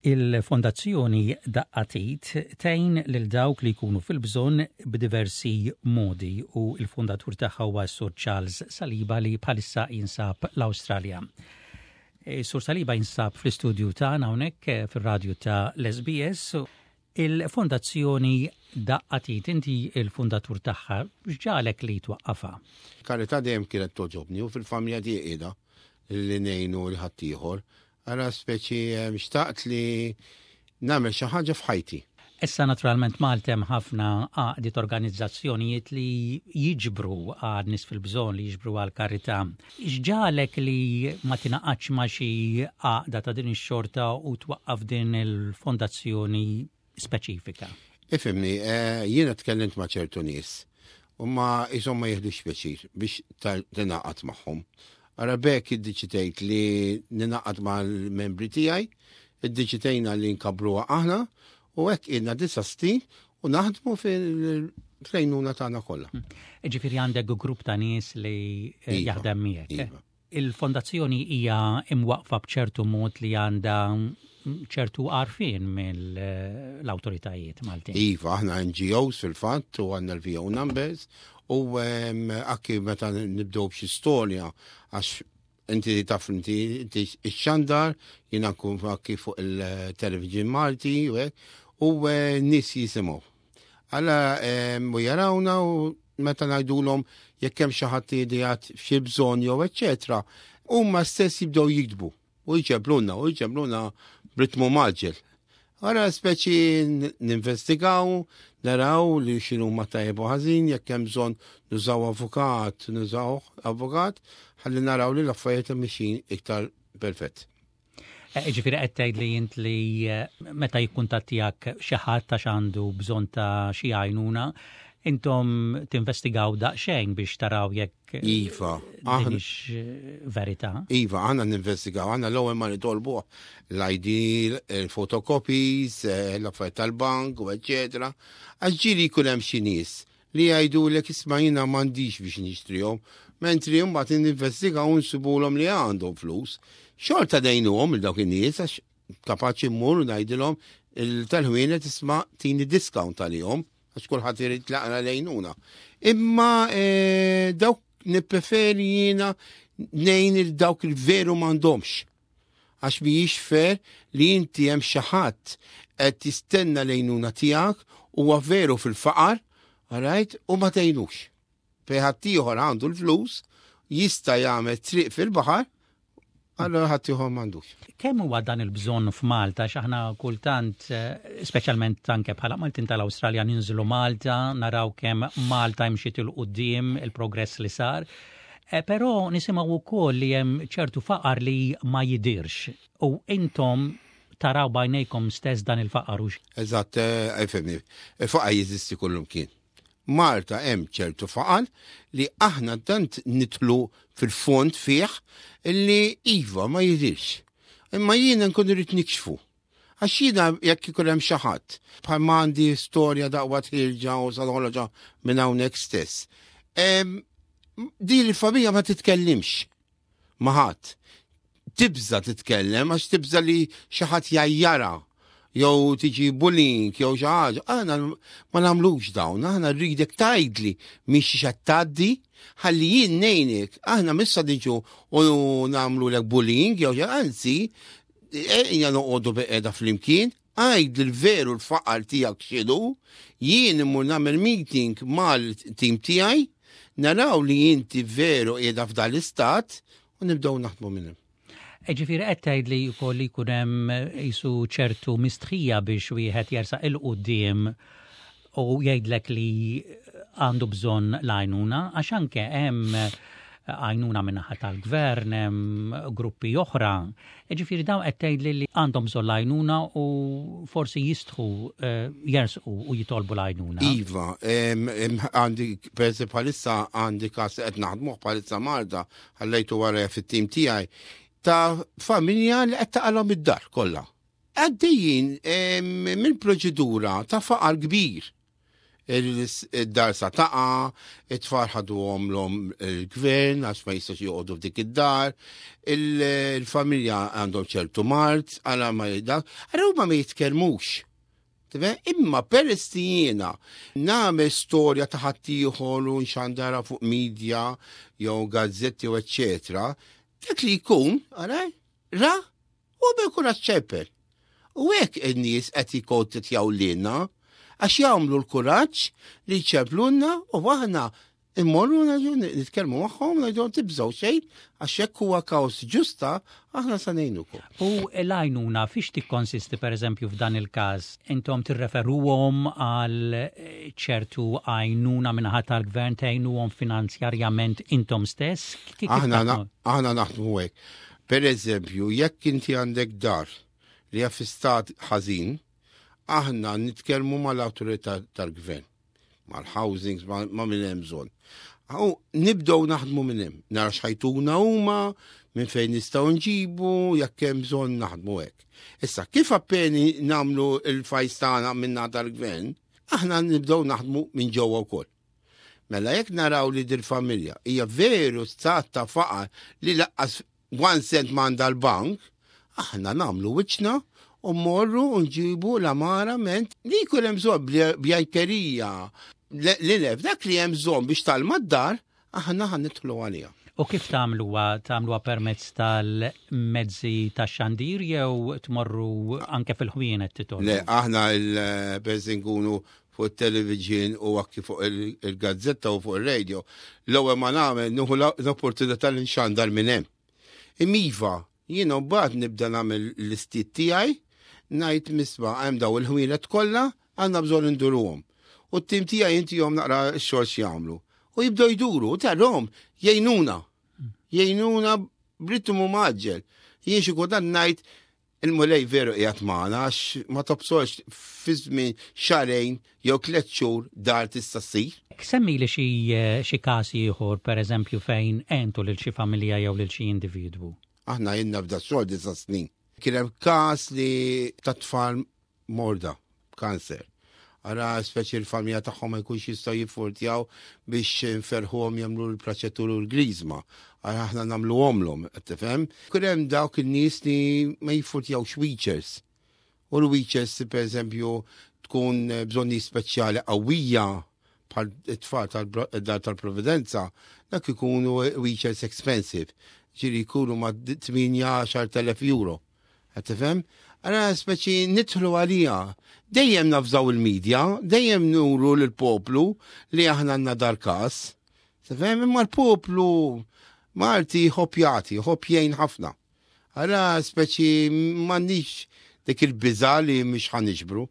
Il-Fondazzjoni Daqqa t'Id tgħin lil dawk li jkunu fil-bżonn b'diversi modi u l-fundatur tagħha huwa s-Sur Charles Saliba li bħalissa jinsab l-Awstralja. E, Sur Saliba jinsab fl-istudju tagħna hawnhekk eh, fir-radju ta' l-SBS. Il-Fondazzjoni Daqqa t'Id inti il-fundatur tagħha, x'ġagħlek li twaqqafha? Karità dejjem kienet togħġobni u fil-familja tiegħi qiegħda li ngħinu 'l ħaddieħor. Ara speċi xtaqt li nagħmel xi ħaġa f'ħajti. Issa naturalment Malta hemm ħafna għaqdiet organizzazzjonijiet li jiġbru għal nies fil-bżonn, li jiġbru għal karità. X'ġagħlek li ma tingħaqadx ma' xi għaqda ta' din ix-xorta u twaqqaf din il-fondazzjoni speċifika? Ifhimni, eh, jiena tkellimt ma' ċertu nies u ma jisom ma jihdux pjaċir biex tingħaqad magħhom. Ara b'hekk iddeċidejt li ninaqad mal-membri tiegħi, iddeċidejna li nkabruha aħna u hekk ilna disa' snin u naħdmu fil-lejnuna tagħna kollha. Ġifieri għandek grupp ta' nies li eh, iva, jaħdem miegħek. Eh? Iva. Il-fondazzjoni hija imwaqfa b'ċertu mod li għandha ċertu għarfien mill-awtoritajiet Maltin. Iva, aħna NGOs fil-fatt u għandna l-VO numbers u anki meta nibdew b'xi storja għax inti taf inti inti x-xandar jiena nkun anki fuq il-television Malti u hekk, u eh, nies jisimgħu. Alla u jarawna u meta ngħidulhom jekk hemm xi ħadd li f'xi bżonn jew eċċetera, huma stess jibdew jiktbu u jġebluna u jġebluna b'ritmu maġġel. Ara speċi ninvestigaw, naraw li xinu ma tajjeb u ħażin, jekk hemm bżonn nużaw avukat, nużaw avukat, ħalli naraw li l-affarijiet mixin iktar perfett. Eh, ġifieri qed tgħid li int li eh, meta jikkuntattijak xi ħadd għax għandu bżonn ta' xi għajnuna, intom tinvestigaw daqsxejn biex taraw jekk eh, Iva, aħna verità. Iva, aħna ninvestigaw, aħna l-ewwel ma nitolbu l-ID, il-fotocopies, l-affarijiet tal-bank, u eċċetera. Għax ġieli jkun hemm xi nies li jgħidulek isma' jiena m'għandix biex nixtrihom, mentri mbagħad ninvestigaw u nsibulhom li għandhom flus. Xorta ngħinuhom il dawk in-nies għax kapaċi mmur u ngħidilhom il-tal-ħwienet isma' tini discount għalihom għax kulħadd irid laqra lejnuna. Imma eh, dawk nippreferi jiena ngħin il dawk il-veru m'għandhomx. Għax mhijiex fair li inti hemm xi ħadd qed jistenna l-għejnuna tiegħek huwa veru fil-faqar, alright, u ma tgħinux. Fejn ħaddieħor għandu l-flus, jista' jagħmel triq fil-baħar, allora ħaddieħor m'għandux. Kemm huwa dan il-bżonn f'Malta għax aħna kultant, eh, speċjalment anke bħala Maltin tal-Awstralja ninżlu Malta, naraw kemm Malta imxiet 'il quddiem il-progress li sar. Eh, però nisimgħu wkoll li hemm ċertu faqar li ma jidirx u intom taraw b'għajnejkom stess dan il-faqar u Eżatt, eh, fimni, il-faqar jeżisti kullumkien. Malta hemm ċertu faqar li aħna tant nitlu fil-fond fih li iva ma jidirx. Imma jiena nkun irrid nikxfu. Għax jiena jekk ikun hemm xi ħadd, bħal ma għandi storja daqwa tħirġa u sa noħroġha minn hawnhekk stess. Din il-familja ma titkellimx ma' ħadd. Tibża titkellem għax tibża li xi ħadd jgħajjarha jew tiġi bullying jew xi ħaġa. Aħna ma nagħmlux dawn, aħna rridek tgħidli minn xi qed tgħaddi ħalli jien ngħinek. Aħna missa niġu u nagħmlulek bullying jew anzi Ejja noqogħdu beqeda flimkien, għid l-veru l-faqar tiegħek x'inhu, jien immur nagħmel meeting mal-tim tiegħi, naraw li inti veru qiegħda f'dan l-istat u nibdew naħdmu minn hemm. E ġifieri qed tgħid li wkoll li jkun hemm qisu ċertu mistħija biex wieħed jersaq 'il quddiem u jgħidlek li għandu bżonn l-għajnuna għax anke hemm għajnuna min-naħa tal-gvern, hemm gruppi oħra. Ġifieri dawn qed tgħidli li għandhom bżonn l-għajnuna u forsi jistħu eh, jersqu u jitolbu l-għajnuna. Iva, għandi per bħalissa għandi każ qed naħdmuh bħalissa Malta ħallejtu wara fit-tim tiegħi ta' familja li qed taqalhom id-dar kollha. Għaddejjin minn proċedura ta' faqar kbir. id-dar sa taqa, it-tfal ħaduhom l il-gvern għax ma jistax joqogħdu f'dik id-dar, il-familja għandhom ċertu mard, għala ma dak, għara huma ma jitkellmux. Imma peress li jiena nagħmel storja ta' ħaddieħor u nxandara fuq media jew gazzetti u eċċetera, dak li jkun, ara, ra, u għamel kuraġġ ċempel. U hekk in-nies qed jikkontattjaw lilna għax jagħmlu l-kuraġġ li jċemplulna u aħna immorru nitkellmu magħhom ngħidu tibżgħu xejn għax hekk huwa każ ġusta aħna sa ngħinukom. U l-għajnuna fiex tikkonsisti pereżempju f'dan il-każ? Intom tirreferuhom għal ċertu għajnuna min-naħa tal-gvern tgħinuhom finanzjarjament intom stess? Aħna naħdmu hekk. Per eżempju, jekk inti għandek dar li hija fi stat ħażin, aħna nitkellmu mal-awtorità tal-gvern, mal-housings, ma' min hemm bżonn. U nibdew naħdmu minn hemm, nara x'ħajtuna huma, minn fejn nistgħu nġibu, jekk hemm bżonn naħdmu hekk. Issa, kif appeni nagħmlu l-fajs tagħna minn tal-gvern, aħna nibdew naħdmu minn ġewwa wkoll. Mela jekk naraw li dil-familja hija veru stat ta' faqar li laqqas one cent m'għandha l-bank, aħna nagħmlu wiċċna u mmorru u nġibu l-amara ment li jkun hemm bżonn bjankerija li lef dak li hemm bżonn biex talma d-dar aħna ħa nidħlu għaliha. U kif tagħmluha? Tagħmluha permezz tal-mezzi tax-xandir jew tmorru anke fil-ħwienet titolbu? Le, aħna il-peress nkunu fuq it-television u anki fuq il-gazzetta u fuq il-radio, l-ewwel ma nagħmel nieħu l-opportunità li nxandar minn hemm. Imiva, jiena mbagħad nibda nagħmel l-istiet tiegħi, ngħid misma' hemm daw il-ħwienet kollha għandna bżonn induruhom. U t-tim tiegħi intihom naqra x-xogħol x'jagħmlu. U jibdew jduru, u tarhom jgħinuna. Jgħinuna b'ritmu mgħaġġel. Jien xi kultant ngħid il-Mulej veru qiegħed magħna għax ma tobsorx fi żmien xahrejn jew tlett xhur dar tista' ssir. Semmili xi xi każ ieħor pereżempju fejn għentu lil xi familja jew lil xi individwu. Aħna ilna f'da xogħol disa' snin. Kien hemm każ li ta' tfal morda b'kanser. Ara speċi l-familja tagħhom ma jkunx jistgħu jiffurtjaw biex nferħuhom jagħmlu l-praċettur u l-griżma. Ara aħna nagħmluhomlhom, qed tifhem? Kien hemm dawk in-nies li ma jiffurtjawx wheelchairs. U l-wheelchairs pereżempju tkun bżonni speċjali qawwija bħal it-tfal tal-dar tal-Providenza, dak ikunu wheelchairs expensive, ġiri jkunu ma' 8-10,000 euro. Qed tifhem? Ara speċi nidħlu għalija. Dejjem nafżaw il-medja, dejjem nuru lill-poplu li aħna għandna dar każ. Tifhem? Imma l-poplu Malti jħobb jagħti, jħobb jgħin ħafna. Ara speċi m'għandix dik il-biża' li mhix ħa niġbru.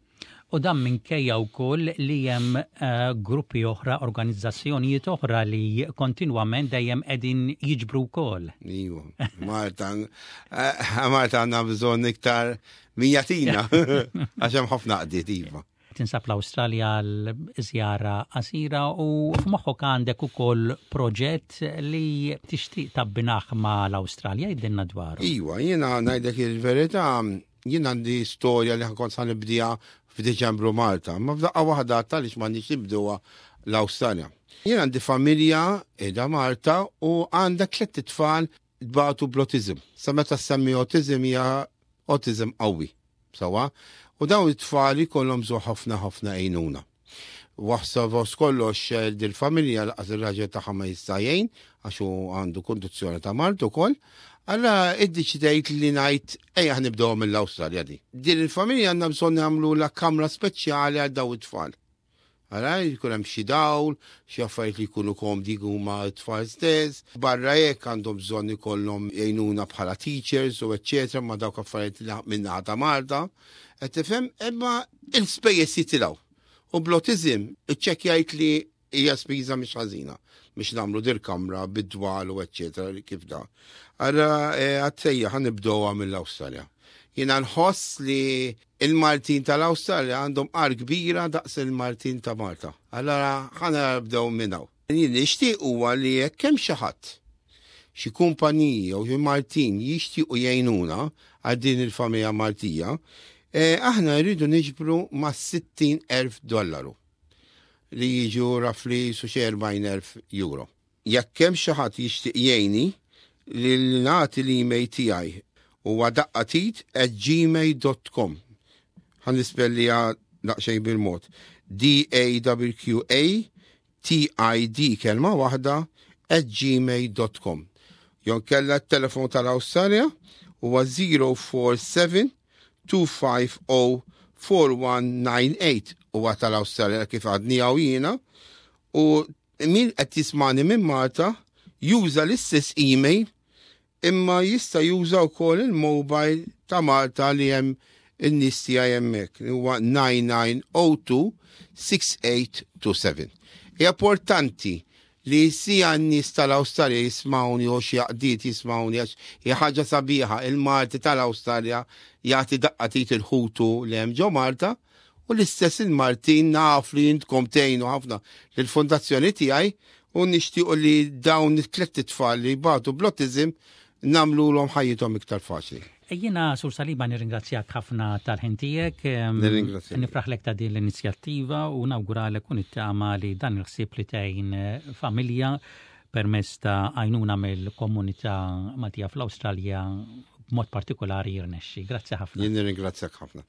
U dan minkejja wkoll li hemm eh, gruppi oħra, organizzazzjonijiet oħra li kontinwament dejjem qegħdin jiġbru wkoll. Iva, Malta, eh, Malta għandna bżonn iktar min jagħtina għax hemm ħafna qdiet iva. Tinsab l-Awstralja għal żjara qasira u f'moħħok għandek ukoll proġett li tixtieq tabbinaħ ma' l-Awstralja jgħidilna dwaru. Iva, jiena ngħidlek il-verità Jien għandi storja li kont sa nibdija f'Diċembru Malta, ma f'daqqa waħda għaliex m'għandix nibduha l-Awstralja. Jien għandi familja qiegħda Malta u għandha tlett itfal tbatu bl-autism. Sa meta semmi autism hija autism qawwi. Sawa? U dawn it-tfal ikollhom bżonn ħafna ħafna għejnuna. Waħsa fost kollox eh, dil-familja laqas ir-raġel tagħha ma jista' jgħin għax hu għandu kondizzjoni ta' mard ukoll. Allura iddeċidejt li ngħid ejja nibdew mill-Awstralja di. Din il-familja għandna bżonn nagħmlu la kamra speċjali għal daw it-tfal. Ara, jkun hemm xi dawl, xi affarijiet li jkunu komdi huma t-tfal stess. Barra hekk għandhom bżonn ikollhom jgħinuna bħala teachers u eċċetera ma' dawk affarijiet li min-naħa ta' Malta. Qed tifhem? Imma il-spejjeż jitilgħu. U bl-autism iċċekkjajt li hija spiża mhix ħażina biex nagħmlu dir kamra bid-dwal u eċċetera kif da. Ara eh, għat-sejja ħa nibdewha mill-Awstralja. Jiena nħoss li il-Maltin tal-Awstralja għandhom qar kbira daqs il-Maltin ta' Malta. Allora ħa nibdew minn hawn. Jien nixtieq huwa li jekk hemm xi ħadd xi kumpaniji jew xi Maltin jixtiequ jgħinuna għal din il-familja Maltija, eh, aħna rridu niġbru ma' 60,000 dollaru. li jiġu roughly su xi 40,000 euro. Jekk hemm xi ħadd jixtieq jgħinni li nagħti l-email tiegħi huwa daqqatid@gmail.com. Ħa nispellija daqsxejn bil-mod. daqqatid kelma waħda @gmail.com. Jew inkella t-telefon tal-Awstralja huwa 047 250 4198, huwa tal-Awstralja kif għadni hawn jiena, u min qed jismani minn Malta juża l-istess email, imma jista' juża wkoll il-mobile ta' Malta li hemm in-nies tiegħi hemmhekk, huwa 9902 6827. Hija importanti li sija n-nies tal-Awstralja jismawni u xi għaqdiet jismawni, għax hija ħaġa sabiħa il-Malti tal-Awstralja jagħti daqqa t'id lil ħutu li hemm ġo Malta, u l-istess il-Maltin naf li intkom tgħinu ħafna lill-fondazzjoni tiegħi, u nixtiequ li dawn it-tliet tfal li jbatu bl-autism nagħmluhom ħajjithom iktar faċli. Jiena, Sur Saliba, nirringrazzjak ħafna tal-ħin tiegħek. Nirringrazzjak. Nifraħlek ta' din l-inizjattiva u nawguralek u nittama li dan il-ħsieb li tgħin familja permezz ta' għajnuna mill-komunità Maltija fl-Awstralja b'mod partikolari jirnexxi. Grazzi ħafna. Jien nirringrazzjak ħafna.